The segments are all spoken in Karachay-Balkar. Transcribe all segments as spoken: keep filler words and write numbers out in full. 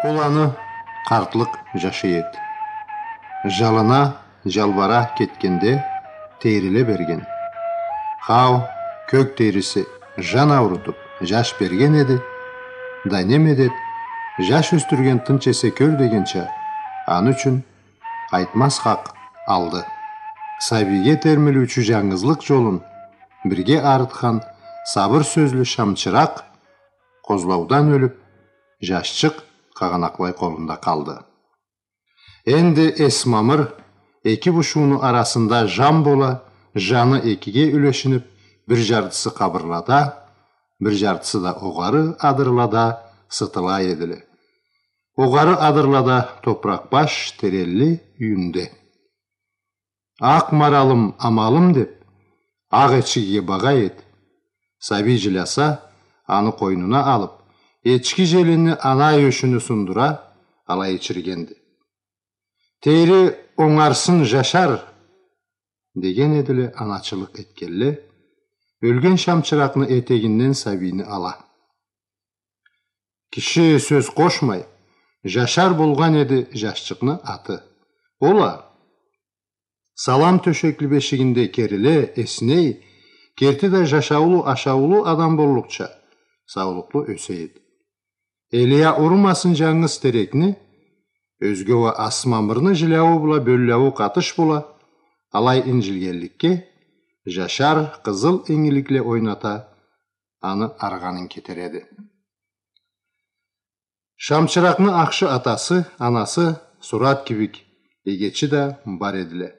Ол аны къартлыкъ жашай эди. Жалына жалбара кетгенде, тейриле берген. Хау, кёк тейриси жан аурутуп, жаш берген эди. Да неме деб, жаш ёсдюрген тынч эсе кёр дегенча, аны ючюн къайтмаз хакъ алды. Сабийге термилиучю жангызлыкъ жолун бирге арытхан сабыр сёзлю Шамчыракъ къозлаудан ёлюп, жашчыкъ къагъанакълай къолунда къалды. Энди Эсмамыр эки бушууну арасында жан бола, жаны экиге юлешинип, бир жартысы къабырлада, бир жартысы да огъары адырлада сытыла эдиле. Огъары адырлада топуракъ баш теренли юйюнде. Акъ маралым, амалым деб, акъ эчкиге багъа эди. Сабий жиляса, аны къойнуна алыб, эчки желинни ана ёшюню сундура, алай ичиргенди. Тейри онгарсын, Жашар! Деген эдиле аначылыкъ этгенле, ёлген Шамчыракъны этегинден сабийни ала. Киши сёз къошмай, Жашар болгъан эди жашчыкъны аты. Ол а салам тёшекли бешигинде кериле, эсней, керти да жашаулу, ашаулу адам боллукъча, саулукълу ёсе эди. Элия урмасын жангыз терекни, ёзге уа Асмамырны жиляуу бла бёллеуи къатыш бола, алай инджилгенликге, Жашар къызыл ингиликле ойната, аны аргъанын кетереди. Шамчыракъны ахшы атасы, анасы сурат кибик эгечи да бар эдиле.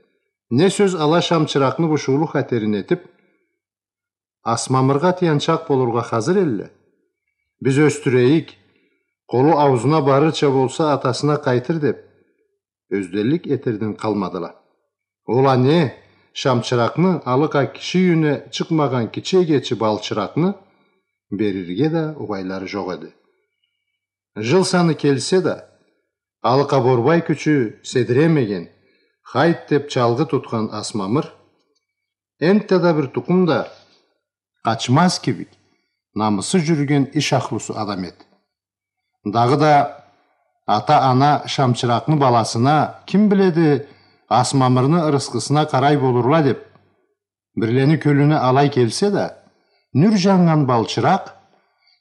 Не сёз ала Шамчыракъны бушуулу хатерин этип, Асмамыргъа тыянчакъ болургъа хазыр элле. Биз ёсдюрейик, къолу аузуна барырча болса, атасына къайтыр деп, ёзденлик этерден къалмадыла. Ол а не, Шамчыракъны, алыкъа киши юйюне чыкъмагъан кичи эгечи Балчыракъны берирге да угъайлары жокъ эди. Жыл саны келсе да, алыкъа борбай кючю седиремеген, хайт деп чалгъы тутхан Асмамыр энтта да бир тукъум да къачмаз кибик, намысы жюрюген иш ахлусу адам эди. Дагъыда ата-ана Шамчыракъны баласына, ким биледи, Асмамырны ырысхысына къарай болурла деп, бирлени кёлюне алай келсе да, нюр жаннган Балчыракъ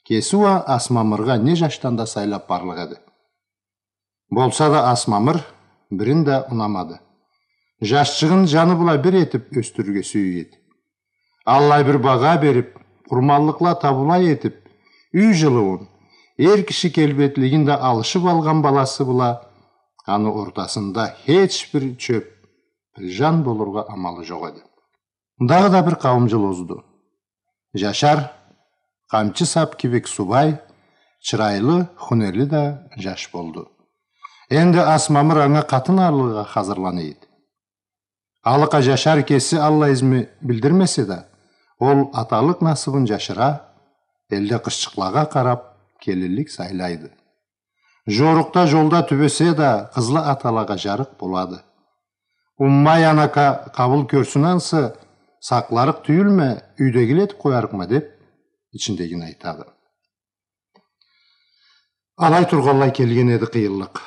кеси уа Асмамыргъа не жашдан да сайлап барлыкъ эди. Болса да Асмамыр бирин да унамады. Жашчыгъын жаны бла бир этип ёсдюрюрге сюе эди. Аллай бир багъа берип, къурманлыкъла табулай этип, юй жылыуун, эр киши келбетлигин да алышып алгъан баласы бла аны ортасында хеч бир чёп, бир жан болургъа амалы жокъ эди. Дагъыда бир къауум жыл озду. Жашар, къамчы сап кибик субай, чырайлы, хунерли да жаш болду. Энди Асмамыр анга къатын алыргъа хазырлана эди. Алыкъа Жашар кеси аллай изми билдирмесе да, ол аталыкъ насыбын жашыра, элде къызчыкълагъа къарап келинлик сайлайды. Жорукъда, жолда тюбесе да, къызлы аталагъа жарыкъ болады. Уммай анака къабыл кёрсюн ансы, сакъларыкъ тюйюлме, юйдегиле этип къоярыкъма деп, ичиндегини айтады. Алай тургъанлай келген эди къыйынлыкъ.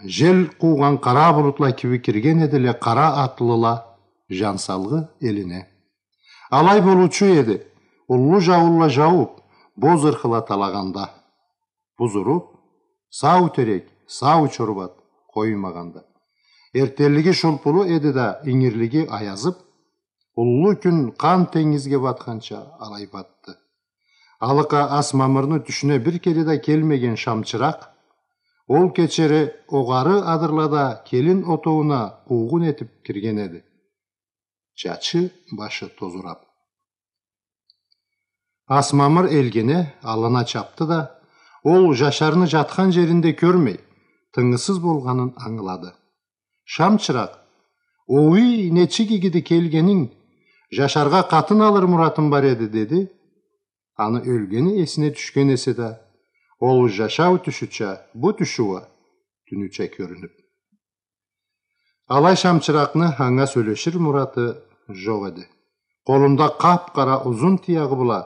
Жел къуугъан къара булутла кибик кирген эдиле къара атлыла жан салгъы элине. Алай болуучу эди, уллу жауунла жаууп, боз ырхыла талагъанда. Буз уруп, сау терек, сау чорбат къоймагъанда. Эртденлиги шулпулу эди да, ингирлиги аязып, уллу кюн къан тенгизге батханча алай батды. Алыкъа Асмамырны тюшюне бир кере да келмеген Шамчыракъ ол кечери огъары адырлада келин отоууна къуугъун этип кирген эди. Чачы, башы тозурап. Асмамыр элгене, аллына чапды да, ол Жашарны жатхан жеринде кёрмей, тынгысыз болгъанын ангылады. Шамчыракъ: «Ой, нечик игиди келгенинг, Жашаргъа къатын алыр муратым бар эди», — деди. Аны ёлгени эсине тюшген эсе да, ол жашау тюшюча, бу тюшю уа тюнюча кёрюнюп. Алай Шамчыракъны анга сёлешир мураты жокъ эди. Къолунда къап-къара узун тыягъы бла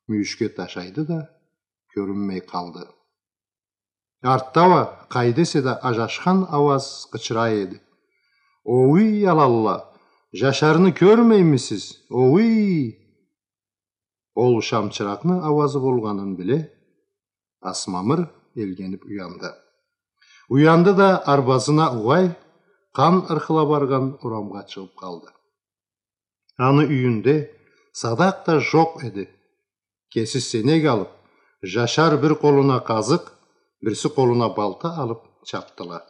мюйюшге ташайды да, кёрюнмей къалды. Артда уа, къайда эсе да, ажашхан ауаз къычыра эди: «Оуй, аланла, Жашарны кёрмеймисиз? Оуй!» Ол шамчыракъны ауазы болгъанын биле, Асмамыр элгенип уянды. Уянды да, арбазына угъай, къан ырхыла баргъан урамгъа чыгъып къалды. Аны юйюнде садакъ да жокъ эди. Кеси сенек алып, Жашар бир къолуна къазыкъ, бирси къолуна балта алып чапдыла.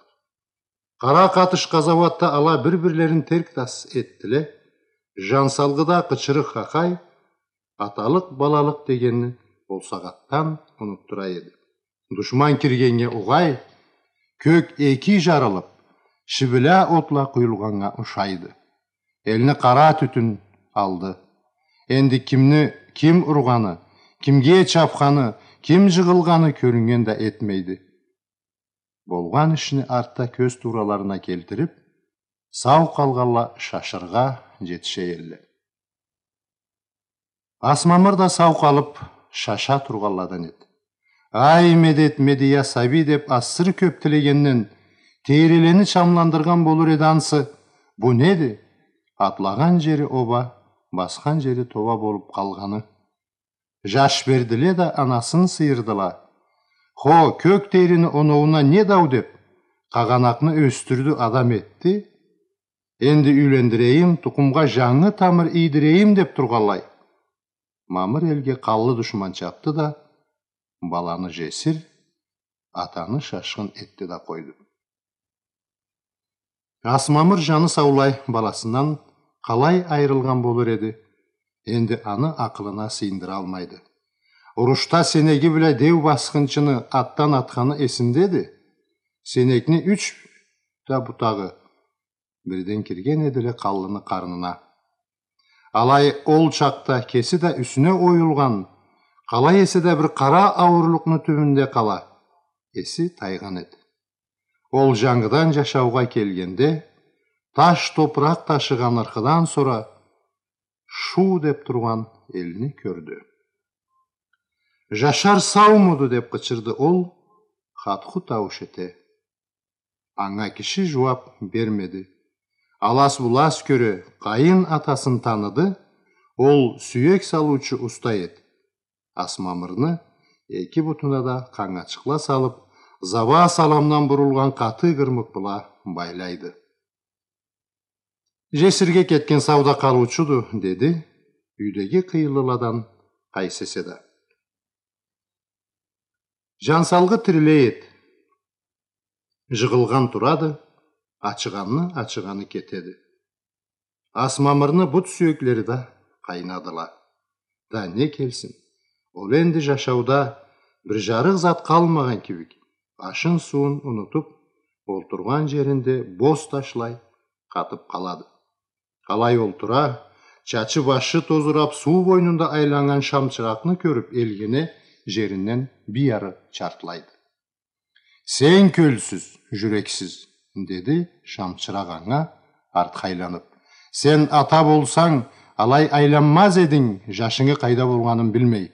Къара къатыш къазауатда ала бир-бирлерин терк-тас этдиле. Жансалгъыда къычырыкъ-хахай, аталыкъ-балалыкъ дегенни ол сагъатдан унутдура эди. Душман киргеннге угъай, кёк эки жарылып, шибиля отла къуюлгъаннга ушайды. Элни къара тютюн алды. Энди кимни ким ургъаны, кимге чапханы, ким жыгъылгъаны кёрюннген да этмейди. Болгъан ишни артда кёз туураларына келтирип, сау къалгъанла шашыргъа жетише элле. Асмамыр да сау къалып, шаша тургъанладан эди. «Ай, медет, медия сабий», — деп, асыры кёп тилегенден, тейрилени чамландыргъан болур эди ансы. Бу неди? Атлагъан жери оба, басхан жери тоба болуп къалгъаны. Жаш бердиле да, анасын сыйырдыла. Хо, кёк тейрини оноууна не дау деп, къагъанакъны ёсдюрдю, адам этди. Энди юйлендирейим, тукъумгъа жангы тамыр ийдирейим деп тургъанлай, Мамыр элге къанлы душман чапды да, баланы жесир, атаны шашхын этди да къойду. Асмамыр жаны саулай баласындан къалай айырылгъан болур эди? Энди аны акъылына сыйындыралмайды. Урушда сенеги бла деу басхынчыны атдан атханы эсиндеди. Сенекни юч да бутагъы бирден кирген эдиле къанлыны къарнына. Алай ол чакъда кеси да юсюне оюлгъан, къалай эсе да бир къара ауурлукъну тюбюнде къала, эси тайгъан эди. Ол жангыдан жашаугъа келгенде, таш топуракъ ташыгъан ырхыдан сора шуу деп тургъан элни кёрдю. «Жашар саумуду?» — деп къычырды ол, хатху таууш эте. Анга киши жууап бермеди. Алас-булас кёре, къайын атасын таныды, ол сюек салыучу уста эди. Асмамырны эки бутуна да къангачыкъла салып, заба саламдан бурулгъан къаты гырмыкъ бла байлайды. «Жесирге кетген сауда къалыучуду», — деди юйдеги къыйынлыладан къайсы эсе да. Жансалгъы тирилей эди. Жыгъылгъан турады, ачыгъанны ачыгъаны кетеди. Асмамырны бут сюеклери да къайнадыла. Да не келсин? Ол энди жашауда бир жарыкъ зат къалмагъан кибик, ашын-сууун унутуп, олтургъан жеринде боз ташлай къатып къалады. Къалай олтура, чачы-башы тозурап, суу бойнунда айланнган шамчыракъны кёрюп, элгене, жеринден бир ары чартлайды. «Сен кёлсюз, жюрексиз», — деди шамчыракъ анга, артха айланып. «Сен ата болсанг, алай айланмаз эдинг, жашынгы къайда болгъанын билмей».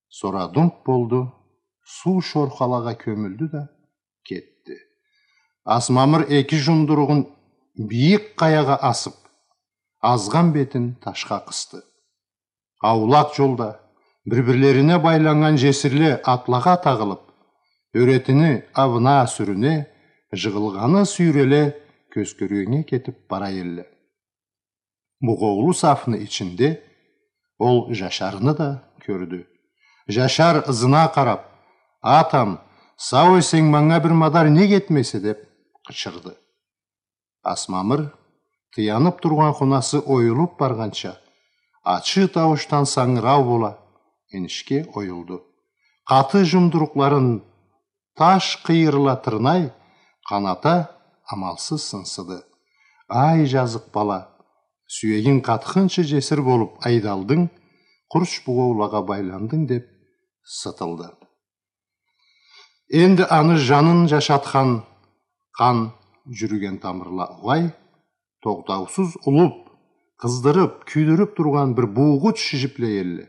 Сора думп болду, суу шорхалагъа кёмюлдю да кетди. Асмамыр эки жумдуругъун бийик къаягъа асып, азгъан бетин ташха къысты. Аулакъ жолда бир-бирлерине байланнган жесирле атлагъа тагъылып, ёретини абына-сюрюне, жыгъылгъаны сюйреле кёзкюргеннге кетип бара элле. Бугъоулу сафны ичинде ол Жашарны да кёрдю. Жашар, ызына къарап: «Атам, сау эсенг, манга бир мадар нек этмейсе?» — деп къычырды. Асмамыр, тыянып тургъан хунасы оюлуп баргъанча, ачы тауушдан сангырау бола, энишге оюлду. Къаты жумдурукъларын таш къыйырла тырнай, къаната амалсыз сынсыды. «Ай, жазыкъ бала, сюегинг къатхынчы жесир болуп айдалдынг, къурч бугъоулагъа байландынг», — деп сытылды. Энди аны жанын жашатхан къан жюрюген тамырла угъай, тогътаусуз улуп, къыздырып, кюйдюрюп тургъан бир буугъуч жиплей элле.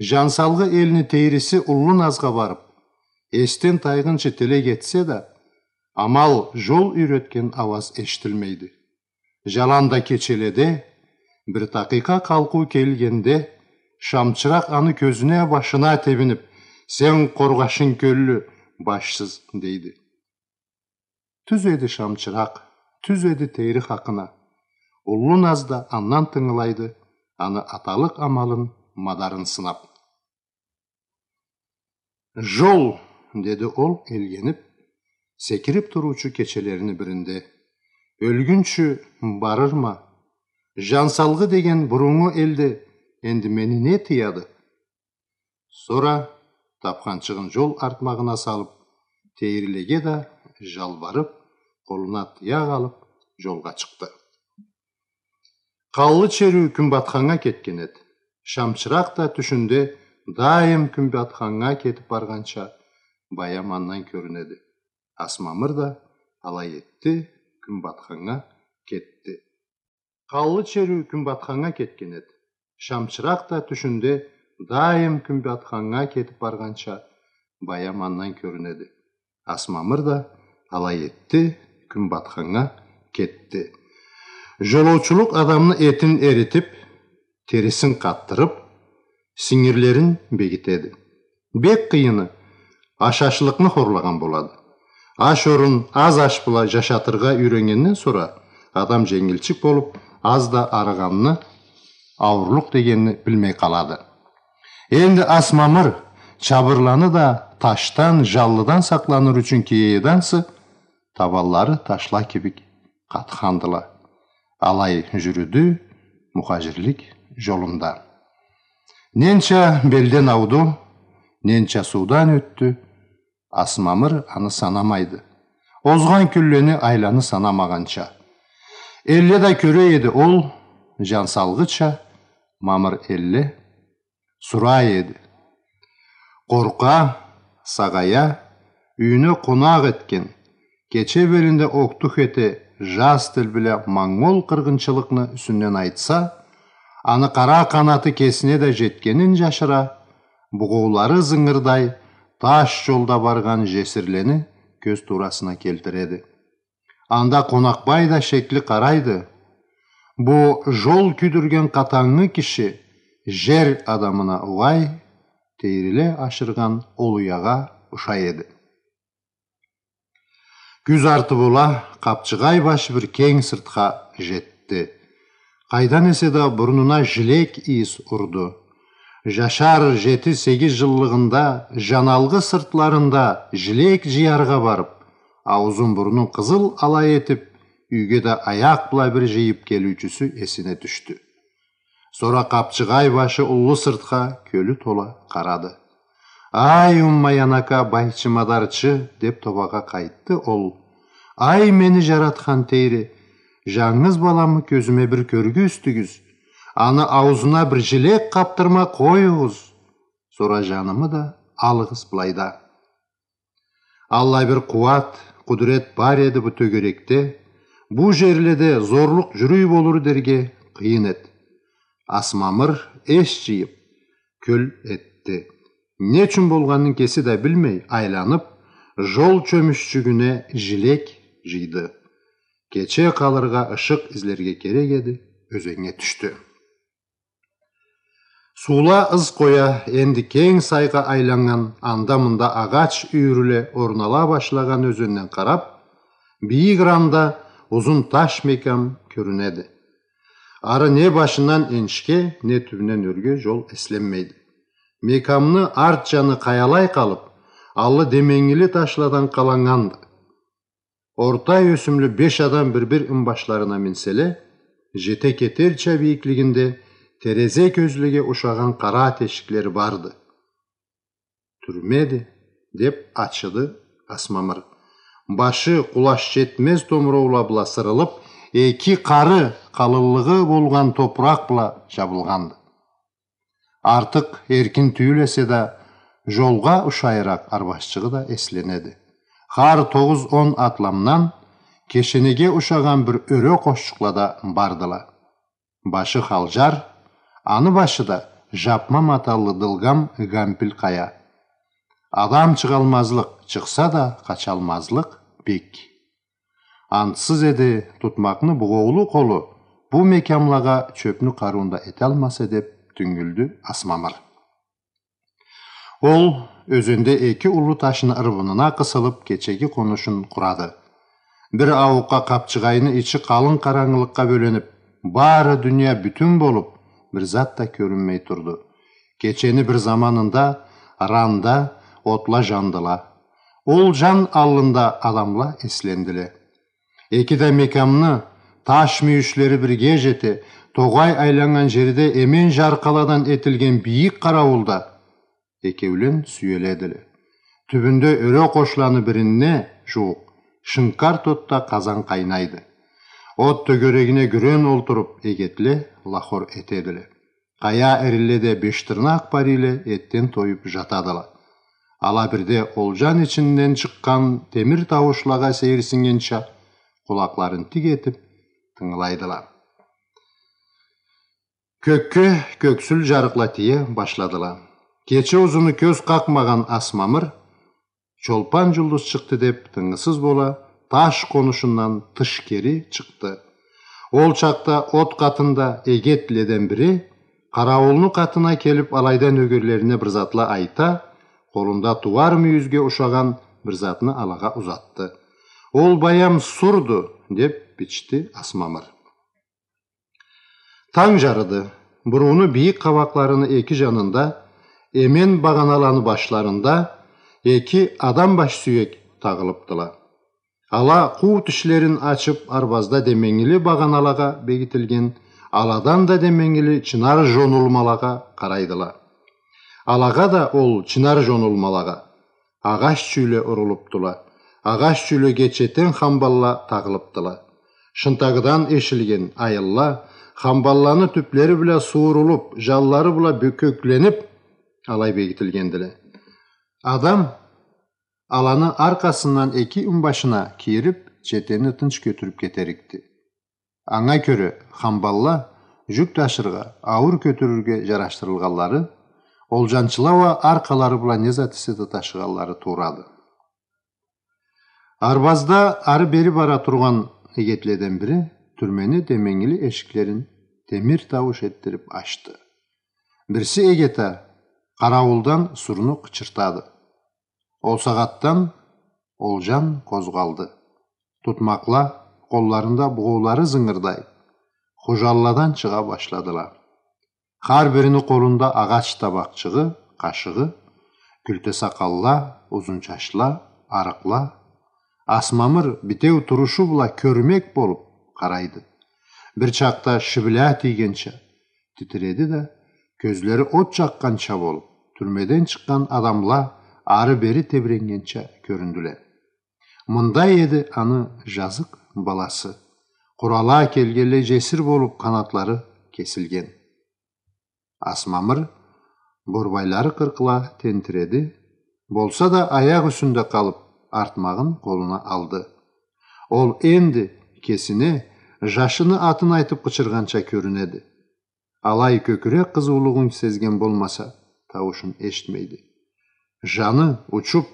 Жансалгъы элни тейриси уллу назгъа барып, Эсден тайгъынчы тилек этсе да, амал жол юйретген ауаз эшитилмейди. Жаланда кечеледе, бир такъыйкъа къалкъыу келгенде, Шамчыракъ аны кёзюне, башына тебинип: «Сен къоргъашын кёллю, башсыз», — дейди. Тюз эди Шамчыракъ, тюз эди тейри хакъына. Уллу Наз да андан тынгылайды, аны аталыкъ амалын, мадарын сынап. «Жол», — деди ол, элгенип, секирип туруучу кечелерини биринде. «Ёлгюнчю барырма. Жансалгъы деген буруннгу элде энди мени не тыяды?» Сора тапханчыгъын жол артмагъына салып, тейрилеге да жалбарып, къолуна тыякъ алып, жолгъа чыкъды. Къаллы чериу кюнбатханнга кетген эди. Шамчыракъ да тюшюнде даим кюнбатханнга кетип баргъанча баям андан кёрюнеди. Асмамыр да алай этди, кюнбатханнга кетди. Къаллы чериу кюнбатханнга кетген эди. Шамчыракъ да тюшюнде даим кюнбатханнга кетип баргъанча баям андан кёрюнеди. Асмамыр да алай этди, кюнбатханнга кетди. Жолоучулукъ адамны этин эритип, терисин къатдырып, сингирлерин бегитеди. Бек къыйыны, ашашлыкъны хорлагъан болады. Аш орун аз аш бла жашатыргъа юйреннгенден сора, адам женгилчик болуп, аз да арыгъанны, ауурлукъ дегенни билмей къалады. Энди Асмамыр чабырланы да ташдан, жаллыдан сакъланыр ючюн киеди ансы, табанлары ташла кибик къатхандыла. Алай жюрюдю мухажирлик жолунда. Ненча белден ауду, ненча суудан ётдю, Асмамыр аны санамайды. Озгъан кюнлени, айланы санамагъанча. Элле да кёре эди ол, жансалгъыча, мамыр элле сурай эди. Къоркъа, сагъая, юйюне къонакъ этген, кече белинде октух эте, жаз тил бла монгол къыргъынчылыкъны юсюнден айтса, аны къара къанаты кесине да жетгенин жашыра, бугъоулары зынгырдай, таш жолда баргъан жесирлени кёз туурасына келтиреди. Анда Къонакъбай да шекли къарайды. Бу жол кюйдюрген къатангы киши жер адамына угъай, тейриле ашыргъан ол уягъа ушай эди. Кюз арты бола, Къапчыгъай башы бир кенг сыртха жетди. Къайдан эсе да бурнуна жилек ийис урду. Жашар жети-сегиз жыллыгъында жаналгъы сыртларында жилек жыяргъа барып, аузун-бурнун къызыл алай этип, юйге да аякъ бла бир жыйып келиучюсю эсине тюшдю. Сора Къапчыгъай башы уллу сыртха кёлю тола къарады. «Ай, Уммаянака, байчы-мадарчы», — деп тобагъа къайтды ол. «Ай, мени жаратхан Тейри, жангыз баламы кёзюме бир кёргюзтюгюз. Аны аузуна бир жилек къапдырма къоюгъуз. Сора жанымы да алыгъыз былайда». Аллай бир къууат, къудрет бар эди бу тёгерекде, бу жерледе зорлукъ жюрюй болур дерге къыйын эди. Асмамыр эс жыйып, кёл этди. Не ючюн болгъанын кеси да билмей, айланып, жол чёмюччюгюне жилек жыйды. Кече къалыргъа ышыкъ излерге керек эди, ёзеннге тюшдю. Суула ыз къоя, энди кенг сайгъа айланнган, анда-мында агъач юйюрле орнала башлагъан ёзенден къарап, бийик ыранда узун таш мекам кёрюнеди. Ары не башындан энишге, не тюбюнден ёрге жол эсленмейди. Мекамны арт жаны къаялай къалып, аллы деменгили ташладан къаланнганды. Орта ёсюмлю беш адам бир-бир ымбашларына минселе, жете кетерча бийиклигинде терезе кёзлеге ушагъан къара тешиклери барды. «Тюрмеди», — деп ачыды Асмамыр. Башы къулаш жетмез томуроула бла сырылып, эки къары къалынлыгъы болгъан топуракъ бла жабылгъанды. Артыкъ эркин тюйюл эсе да, жолгъа ушайыракъ арбашчыгъы да эсленеди. Хар тогъуз-он атламдан кешенеге ушагъан бир ёре къошчукъла да бардыла. Башы халжар, аны башыда жапма маталлы дылгъам гампил къая. Адам чыгъалмазлыкъ, чыкъса да къачалмазлыкъ бек. Антсыз эди тутмакъны бугъоулу къолу, бу мекямлагъа чёпню къарыуун да эталмаса, деп тюнгюлдю Асмамыр. Ол ёзенде эки уллу ташны ырбынына къысылып, кечеги къонушун къурады. Бир ауукъгъа къапчыгъайны ичи къалын къарангылыкъгъа бёленип, бары дуния бютюн болуп, бир зат да кёрюнмей турду. Кечени бир заманында ранда, отла жандыла. Ол жан аллында адамла эслендиле. Эки да мекямны таш мюйюшлери бирге жете, тогъай айланнган жерде эмен жаркъаладан этилген бийик къараулда экеулен сюеледиле. Тюбюнде ёре къошланы биринде жууукъ шынкар тотда къазан къайнайды. От тёгерегине гюрен олтуруп, эгетле лахор этедиле. Къая эринле да бештырнакъ парийле этден тоюп жатадыла. Ала бирде ол жан ичинден чыкъгъан темир тауушлагъа сейирсиннгенча, къулакъларын тик этип тынгылайдыла. Кёкге кёксюл жарыкъла тие башладыла. Кече узуну кёз къакъмагъан Асмамыр, чолпан жулдуз чыкъды деп, тынгысыз бола, таш къонушундан тыш кери чыкъды. Ол чакъда от къатында эгетледен бири къараулну къатына келип, алайдан нёгерлерине бир затла айта, къолунда тууар мюйюзге ушагъан бир затны алагъа узатды. Ол баям сурду, деп бичди Асмамыр. Танг жарыды. Бурууну бийик къабакъларыны эки жанында, эмен багъаналаны башларында эки адам баш сюек тагъылыпдыла. Ала къуу тишлерин ачып, арбазда деменгили багъаналагъа бегитилген, аладан да деменгили чынар жонулмалагъа къарайдыла. Алагъа да ол чынар жонулмалагъа агъач чюйле урулупдула. Агъач чюйлеге четен хамбалла тагъылыпдыла. Шынтагыдан эшилген айылла хамбалланы тюплери бла суурулуп, жанлары бла бёкекленип, алай бегитилгендиле. Адам аланы аркъасындан эки имбашына кийирип, четени тынч кётюрюп кетерикди. Анга кёре, хамбалла жюк ташыргъа, ауур кётюрюрге жарашдырылгъанлары, ол жанчыла уа аркъалары бла не зат эсе да ташыгъанлары туурады. Арбазда ары-бери бара тургъан эгетледен бири тюрмени деменгили эшиклерин темир таууш этдирип ачды. Бирси эгет а къарауулдан сурну къычыртады. Ол сагъатдан ол жан къозгъалды. Тутмакъла, къолларында бугъоулары зынгырдай, хужалладан чыгъа башладыла. Хар бирини къолунда агъач табакъчыгъы, къашыгъы, кюлте сакъалла, узун чачла, арыкъла. Асмамыр битеу турушу бла кёрмек болуп къарайды. Бир чакъда шибля тийгенча титиреди да, кёзлери от жакъгъанча болуп, тюрмеден чыкъгъан адамла ары-бери тебреннгенча кёрюндюле. Мындай эди аны жазыкъ баласы. Къурала келгенлей жесир болуп, къанатлары кесилген. Асмамыр борбайлары къыркъла тентиреди, болса да аякъ юсюнде къалып, артмагъын къолуна алды. Ол энди кесине жашыны атын айтып къычыргъанча кёрюнеди. Алай кёкюрек къызыулугъун сезген болмаса, тауушун эшитмейди. Жаны учуп,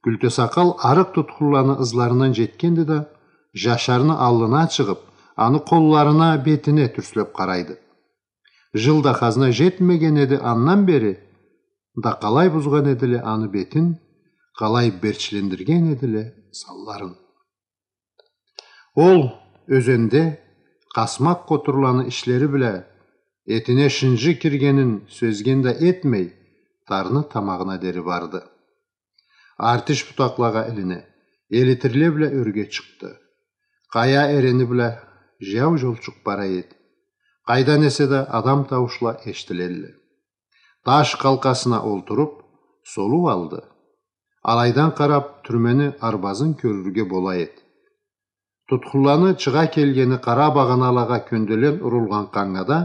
кюлте сакъал арыкъ тутхунланы ызларындан жетгенди да, жашарны аллына чыгъып, аны къолларына, бетине тюрслеп къарайды. Жыл да хазна жетмеген эди андан бери, да къалай бузгъан эдиле аны бетин, къалай берчлендирген эдиле санларын. Ол ёзенде къасмакъ къотурланы ишлери бла этине шынжы киргенин сёзген да этмей, тарны тамагъына дери барды. Артиш бутакълагъа илине, элитирле бла ёрге чыкъды. Къая эрени бла жаяу жолчукъ бара эди. Къайдан эсе да адам тауушла эшитилелле. Таш къалкъасына олтуруп, солуу алды. Алайдан къарап, тюрмени арбазын кёрюрге бола эди. Тутхунланы чыгъа келгени къара багъаналагъа кёнделен урулгъан къангада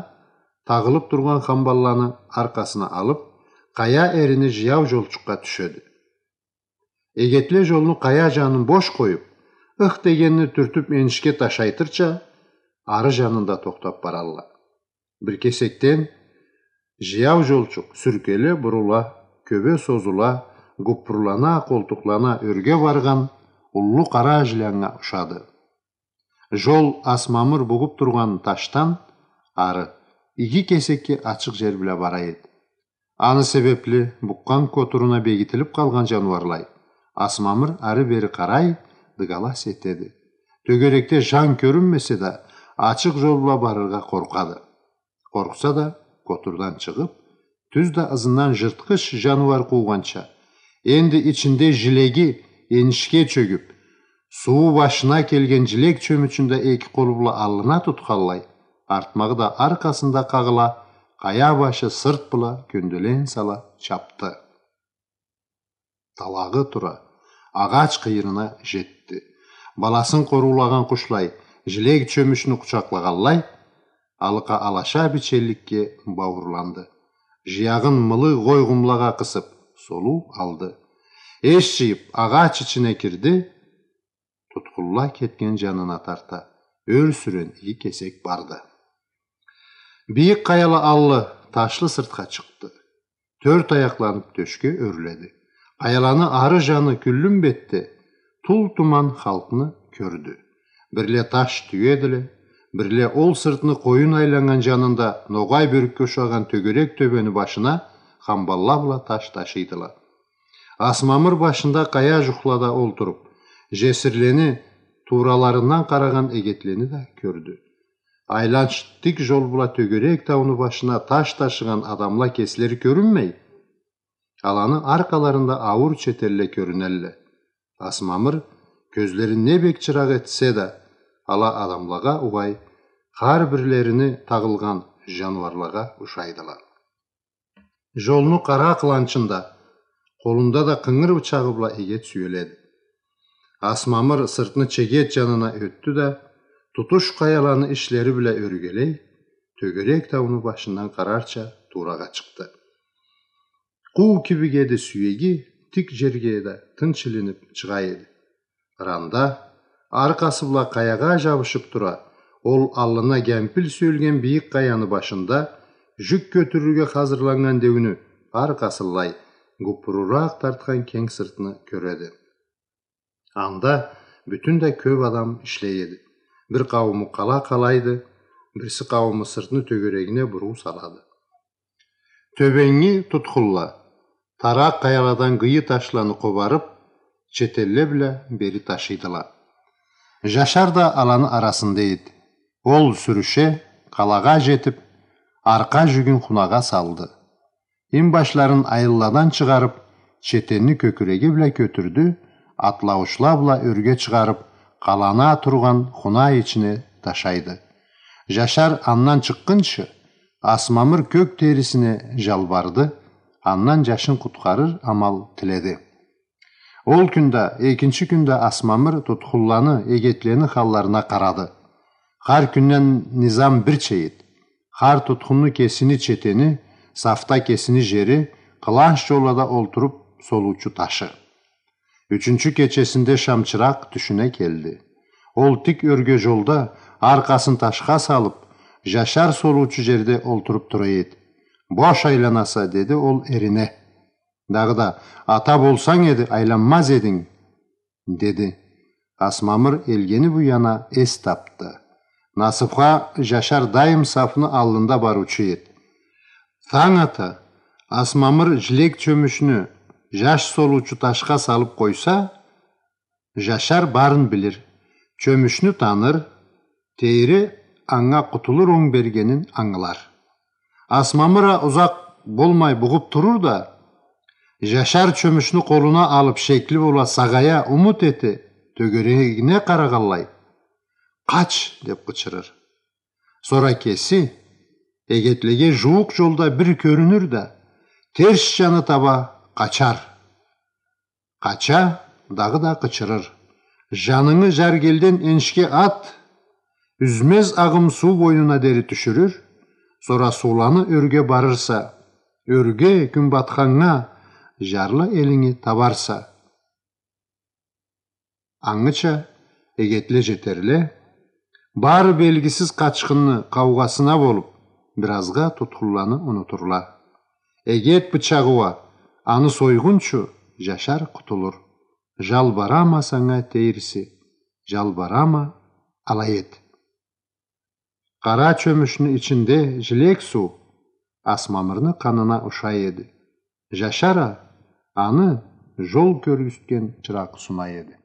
тагъылып тургъан хамбалланы аркъасына алып, къая эрини жаяу жолчукъгъа тюшеди. Эгетле жолну къая жанын бош къоюп, ых дегенни тюртюп энишге ташайтырча, ары жанында тохтап баралла. Бир кесекден жаяу жолчукъ сюркеле бурула, кёбе созула, гуппурлана, къолтукълана ёрге баргъан уллу къара жиляннга ушады. Жол Асмамыр бугъуп тургъан ташдан ары, иги кесекге ачыкъ жер бла бара эди. Аны себепли букъгъан котуруна бегитилип къалгъан жаныуарлай, Асмамыр ары-бери къарай, дыгалас этеди. Тёгерекде жан кёрюнмесе да, ачыкъ жол бла барыргъа къоркъады. Къоркъса да, котурдан чыгъып, тюз да ызындан жыртхыч жаныуар къуугъанча, энди ичинде жилеги энишге чёгюп, сууу башына келген жилек чёмючюн да эки къолу бла аллына тутханлай, артмагъы да аркъасында къагъыла, къая башы сырт бла кёнделен сала чапды. Талагъы тура, агъач къыйырына жетди. Баласын къоруулагъан къушлай, жилек чёмючню къучакълагъанлай, алыкъа алаша бичелликге бауурланды. Жыягъын мылы гъойгъумлагъа къысып, солуу алды. Эш жыйып, агъач ичине кирди. Тутхунла кетген жанына тарта ёр сюрен иги кесек барды. Бийик къаяла аллы, ташлы сыртха чыкъды. Тёрт аякъланып тёшге ёрледи. Къаяланы ары жаны кюллюн бетде тул-туман халкъны кёрдю. Бирле таш тюедиле, бирле ол сыртны къоюн айланнган жанында ногъай бёркге ушагъан тёгерек тёбени башына хамбалла бла таш ташыйдыла. Асмамыр башында къая жухлада олтуруп, жесирлени туураларындан къарагъан эгетлени да кёрдю. Айланч тик жол бла тёгерек тауну башына таш ташыгъан адамла кеслери кёрюнмей, аланы аркъаларында ауур четелле кёрюнелле. Асмамыр кёзлерин не бек чыракъ этсе да, ала адамлагъа угъай, хар бирлерини тагъылгъан жаныуарлагъа ушайдыла. Жолну къара къыланчында, къолунда да къынгыр бычагъы бла эгет сюеледи. Асмамыр сыртны чегет жанына ётдю да, тутуш къаяланы ишлери бла ёргелей, тёгерек тауну башындан къарарча туурагъа чыкъды. Къуу кибик эди сюеги, тик жерге да тынч илинип чыгъа эди. Ыранда, аркъасы бла къаягъа жабышып тура, ол аллына гемпил сюелген бийик къаяны башында жюк кётюрюрге хазырланнган деуню аркъасынлай гуппуруракъ тартхан кенг сыртны кёреди. Анда бютюн да кёп адам ишлей эди. Бир къаууму къала къалайды, бирси къаууму сыртны тёгерегине буруу салады. Тёбенги тутхунла таракъ къаяладан гыйы ташланы къобарып, четелле бла бери ташыйдыла. Жашар да аланы арасында эди. Ол сюрюше, къалагъа жетип, аркъа жюгюн хунагъа салды. Инбашларын айылладан чыгъарып, четенни кёкюреги бла кётюрдю, атлауучла бла ёрге чыгъарып, къалана тургъан хуна ичине ташайды. Жашар андан чыкъгъынчы, Асмамыр кёк терисине жалбарды, андан жашын къутхарыр амал тиледи. Ол кюн да, экинчи кюн да Асмамыр тутхунланы, эгетлени халларына къарады. Хар кюнден низам бирча эди. Хар тутхунну кесини четени, сафда кесини жери, къыланч жоллада олтуруп солуучу ташы. Ючюнчю кечесинде шамчыракъ тюшюне келди. Ол тик ёрге жолда, аркъасын ташха салып, жашар солуучу жерде олтуруп тура эди. «Бош айланаса», — деди ол эрине. Дагъыда: «Ата болсанг эди, айланмаз эдинг», — деди. Асмамыр элгени бу яна эс тапды. Насыпха, жашар дайым сафны аллында барыучу эди. Танг ата Асмамыр жилек чёмючню жаш солуучу ташха салып къойса, жашар барын билир, чёмючню таныр, Тейри анга къутулур онг бергенин ангылар. Асмамыр а узакъ болмай бугъуп турур да, жашар чёмючню къолуна алып, шекли бола, сагъая, умут эте, тёгерегине къарагъанлай: «Къач!» — деп къычырыр. Сора кеси эгетлеге жууукъ жолда бир кёрюнюр да, терс жаны таба къачар. Къача, дагъыда къычырыр: «Жанынгы жаргелден энишге ат!» Юзмез агъым суу бойнуна дери тюшюрюр, сора сууланы ёрге барырса, ёрге, кюнбатханнга, жарлы элинги табарса. Ангыча эгетле жетерле, бары белгисиз къачхынны къаугъасына болуп, биразгъа тутхунланы унутурла. Эгет бычагъы уа аны сойгъунчу, Жашар къутулур. Жалбарама санга, тейриси, жалбарама, алай эт. Къара чёмюшню ичинде жилек суу Асмамырны къанына ушай эди. Жашар а аны жол кёргюзтген чыракъ сунай эди.